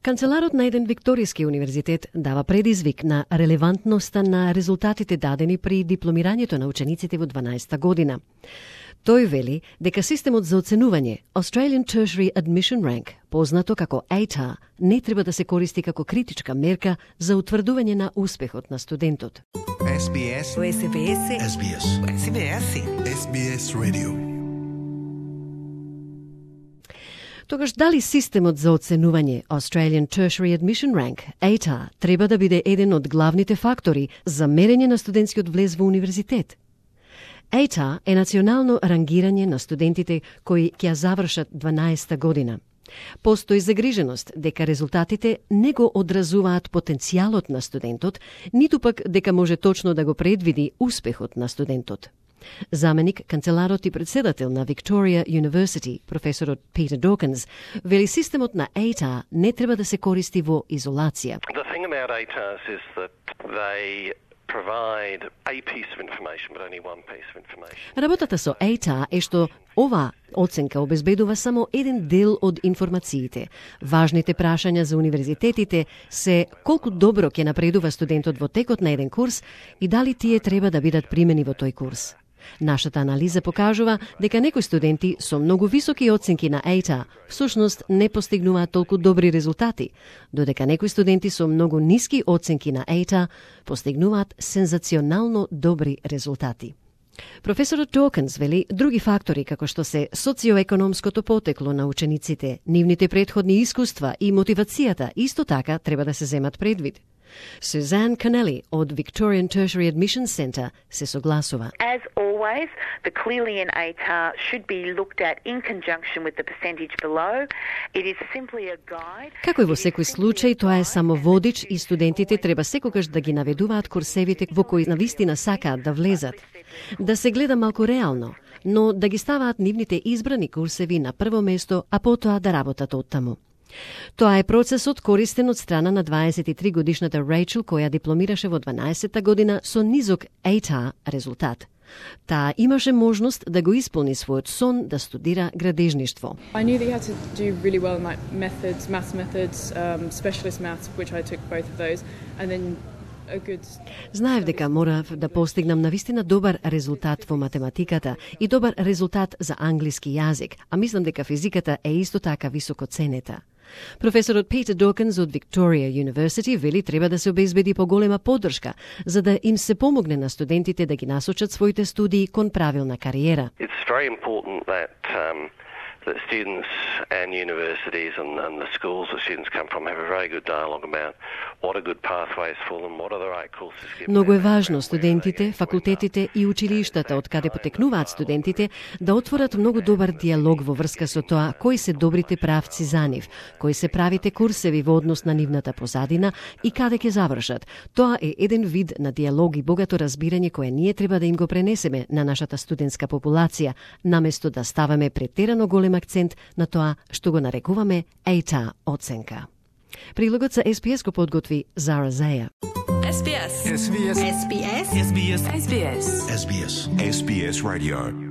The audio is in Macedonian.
Канцеларот на еден викторијски универзитет дава предизвик на релевантноста на резултатите дадени при дипломирањето на учениците во 12-та година. Тој вели дека системот за оценување Australian Tertiary Admission Rank, познато како ATAR, не треба да се користи како критичка мерка за утврдување на успехот на студентот. SBS Radio. Тогаш дали системот за оценување Australian Tertiary Admission Rank, ATAR, треба да биде еден од главните фактори за мерење на студентскиот влез во универзитет? ATAR е национално рангирање на студентите кои ќе завршат 12-та година. Постои загриженост дека резултатите не го одразуваат потенцијалот на студентот, ниту пак дека може точно да го предвиди успехот на студентот. Заменик канцеларот и председател на Victoria University, професорот Peter Dawkins, вели системот на ATAR не треба да се користи во изолација. The thing about ATARs is that they provide a piece of information, but only one piece of information. Работата со ATAR е што ова оценка обезбедува само еден дел од информациите. Важните прашања за универзитетите се колку добро ќе напредува студентот во текот на еден курс и дали тие треба да бидат примени во тој курс. Нашата анализа покажува дека некои студенти со многу високи оценки на ATAR всушност не постигнуваат толку добри резултати, додека некои студенти со многу ниски оценки на ATAR постигнуваат сензационално добри резултати. Професорот Dawkins вели други фактори како што се социоекономското потекло на учениците, нивните претходни искуства и мотивацијата исто така треба да се земат предвид. Suzanne Connelly од Victorian Tertiary Admission Centre се согласува. As always, the Clearly-in ATAR should be looked at in conjunction with the percentage below. It is simply a guide. Како и во секој случај, тоа е само водич и студентите треба секогаш да ги наведуваат курсевите во кои навистина сакаат да влезат. Да се гледа малку реално, но да ги ставаат нивните избрани курсеви на прво место, а потоа да работат оттаму. Тоа е процесот користен од страна на 23 годишната Рейчел, која дипломираше во 12-та година со низок ATAR резултат. Таа имаше можност да го исполни својот сон да студира градежништво. I knew that you had to do really well in like maths methods, specialist maths, which I took both of those, and then Знаев дека морав да постигнам навистина добар резултат во математиката и добар резултат за англиски јазик, а мислам дека физиката е исто така високо ценета. Професорот Peter Dawkins од Victoria University вели треба да се обезбеди поголема поддршка за да им се помогне на студентите да ги насочат своите студии кон правилна кариера. It's very important that students and universities and the schools that students come from have a very good dialogue about what are good pathways for them, what are the right courses. Многу е важно студентите, факултетите и училиштата од каде потекнуваат студентите да отворат многу добар диалог во врска со тоа кои се добрите правци за нив, кои се правите курсеви во однос на нивната позадина и каде ќе завршат. Тоа е еден вид на диалог и богато разбирање кое ние треба да им го пренесеме на нашата студентска популација, наместо да ставаме претерано голем акцент на тоа што го нарекуваме ATAR оценка. Прилогот за SBS го подготви Зара Зеја. SBS Radio.